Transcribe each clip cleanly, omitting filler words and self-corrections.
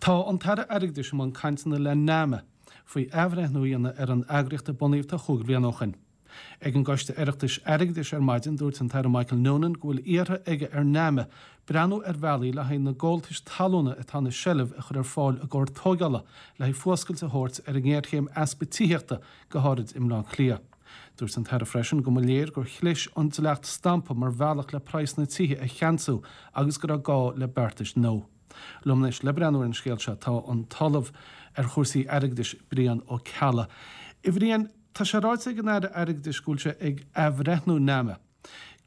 Tá an tAire Airgeadais i mbun cainteanna le NAMA faoi athbhreithniú a dhéanamh ar an eagraíocht a bunaíodh tá chúig bhliana ó shin. Ag an gCoiste Oireachtais Airgeadais ar maidin, dúirt an tAire Michael Noonan go bhfuil iarrtha aige ar NAMA breathnú ar bhealaí le haghaidh na gabháltais talúna atá ina seilbh a chur ar fáil i gcomhair tóigeála le haghaidh fuascailt a thabhairt ar an ngéarchéim easpa tithíochta, go háirid i mBleá Cliath. Dúirt an tAire freisin go mba léir gur chlis an dleacht stampa mar bhealach le praghsanna tithe a cheansú agus go raibh gá le beartais nua. Liom anois le breathnú ar an scéal seo tá an tOllamh ar chúrsaí airgeadais Brian Ó Ceallaigh. A Bhriain, tá sé ráite ag an Aire Airgeadais go bhfuil sé ag athbhreithniú NAMA.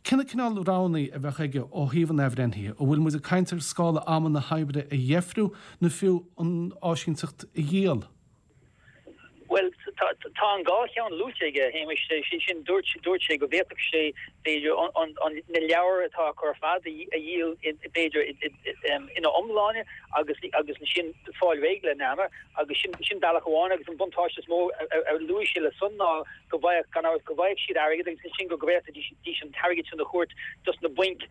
Cé na cineál roghanna a bheadh aige ó thaobh an athbhreithnithe? An bhfuil muid ag caint ar scála ama na hoibre a dheifriú nó fiú an áisínteacht a dhíol? Bhuel, tá an dhá cheann luaite aige, a Shéamais. Sé sin, dúirt sé go bhféadfadh sé, b'fhéidir, na leabhair atá acu ar fad a dhíol, b'fhéidir, ina iomláine agus ansin fáil réidh le NAMA agus sin bealach amháin agus an buntáiste is mó a luaigh sé le san ná go bhfaigheadh, gan amhras, go bhfaigheadh siad airgead agus ansin go bhféadfaidís an t-airgead sin a thabhairt dos na bainc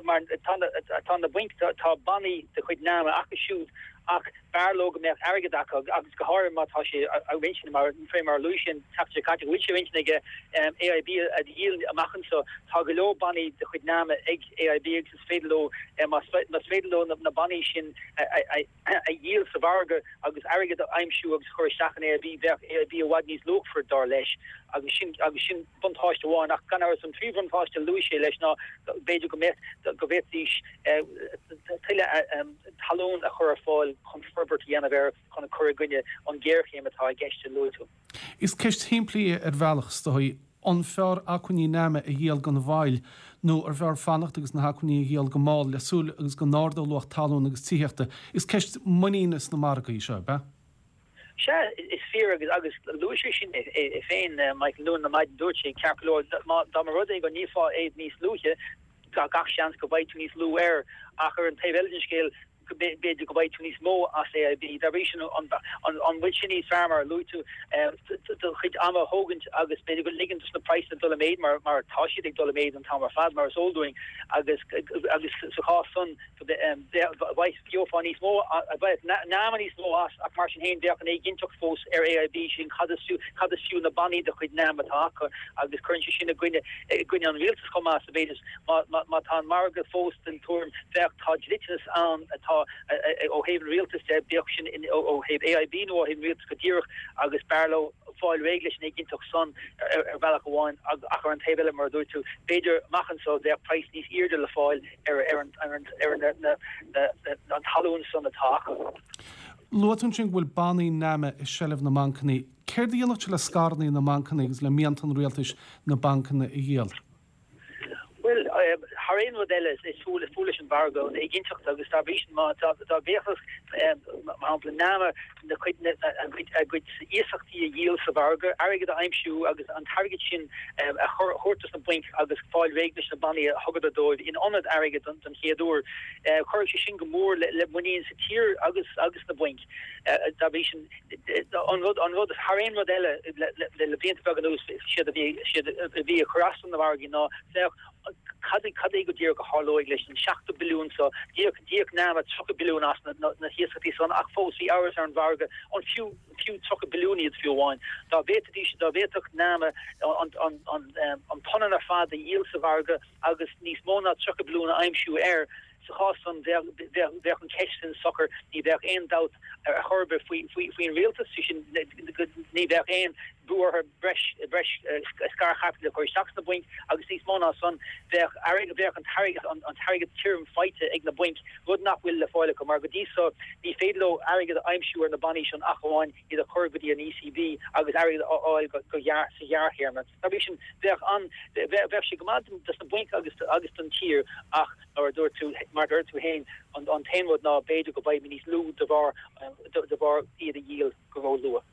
mar tá na bainc, tá bannaí de chuid NAMA acu siúd ach B'fhearr leo go mbeadh airgead acu agus go háirithe má tá sé ar intinn, mar fé mar a luaigh sé an tseachtain seo caite, go bhfuil sé ar intinn aige AIB a dhíol amach anseo. Tá go leor bannaí de chuid NAMA ag AIB agus is féidir leo, más féidir leo na bannaí sin a dhíol sa mhargadh agus airgead a aimsiú agus a chur isteach in AIB, bheadh AIB i bhfad níos luachmhar, dar leis. Agus sin, agus sin buntáiste amháin. Ach gan amhras an príomhbhuntáiste a luaigh sé leis ná b'fhéidir go mbeadh, go bhféadfaidís tuilleadh talún a chur ar fáil chun forbairt a dhéanamh air chun cur i gcoinne an ghéarchéim atá i gceist a luaigh tú. Is ceist shimplí í ar bhealach, is dóigh. An fearr acmhainní NAMA a dhíol gan mhoill nó ar bhfearr fanacht agus na hacmhainní a dhíol go mall le súil agus go n-ardódh luach talún agus tithíochta? Is ceist muiníne sna margaí í seo, ab ea? Sea, is fíor agus agus luaigh sé sin é féin, Michael Noonan ar maidin, dúirt sé, ceart go leor, dá mba rud é go ndíolfá iad níos luaithe, gach seans go bhfaighidh tú níos lú air, ach ar an taobh eile den scéal, b'fhéidir go bhfaighidh tú níos mó as AIB. Dá bhrí sin, an bhfuil sé níos fearr, mar a luaigh tú, do chuid ama a thógaint agus b'fhéidir go ligean dos na praghsanna dul i méid, mar tá siad ag dul i méid an t-am ar fad, mar is eol dúinn, agus sa chás san, Gheofá níos mó, bheadh NAMA níos mó as, ach mar sin féin bheadh an éiginnteacht fós ar AIB, sin cad is fiú, cad is fiú na bannaí de chuid NAMA atá acu agus cuireann sé sin i gcoinne, i gcoinne an rialtais chomh maith sa mhéid is má, má, má tá an margadh fós den tuairim, bheadh, tá dliteanas ann atá ó thaobh an rialtais de, bíodh sin ó thaobh AIB nó ó thaobh an rialtais go díreach agus b'fhearr leo fáil réidh leis an éiginnteacht san ar bhealach amháin ach ar an taobh eile, mar a dúirt tú, b'fhéidir amach anseo bheadh praghas níos airde le fáil. ar an talún san atá acu. Luaigh tú ansin go bhfuil bannaí NAMA i seilbh na mbancanna. Céard a dhéanfadh sé le scaireanna na mbancanna agus le mianta an rialtais na bancanna a dhíol? Bhuel, thar aon rud eile, is fuath leis an mhargadh an éiginnteacht agus dá bhrí sin má dá bhféadfadh, mar shampla, NAMA na cuid, a gcuid iasachtaí a dhíol sa mhargadh, airgead a aimsiú agus an t-airgead sin a thabhairt dos na bainc agus fáil réidh leis na bannaí a thugadar dóibh in ionad airgid don chéad uair. Chuirfeadh sé sin go mór le muinín sa tír agus agus sna bainc. Dá bhrí sin, an rud, an rud, thar aon rud eile le blianta beaga anuas, séard a bhí, séard a bhí ag cur as do na margaí ná féach cad é, cad é go díreach a tharlóidh leis an 70 billiún so. D'íoc, d'íoc NAMA 30 billiún as na, na hiasachtaí san ach fós bhí amhras ar an mhargadh an fiú, fiú 30 billiún iad fiú amháin. Dá bhféadfaidís, dá bhféadfadh NAMA an, an, an, an punann ar fad a dhíol sa mhargadh agus níos mó ná 30 billiún a aimsiú air, Sa chás san, bheadh an cheist sin socair, ní bheadh aon dabht ar chor ar bith faoin rialtas, sé sin, ní bheadh aon bhrú orthu breis scairchaipitil a chur isteach sna bainc agus níos mó ná san, bheadh an t-airgead tirim faighte ag na bainc, rud nach bhfuil le fáil acu, mar go dtí so ní féidir leo airgead a aimsiú ar na bannaí sin ach amháin iad a chur go dtí an ECB agus airgead a fháil sa ghearrthéarma. Dá bhrí sin, bheadh an, bheadh sé go maith dos na bainc agus agus don tír ach mar a dúirt tú, mar a dúirt tú féin, an an t-aon rud ná b'fhéidir go bhfaighimid níos lú de bharr de bharr iad a dhíol go ró-luath.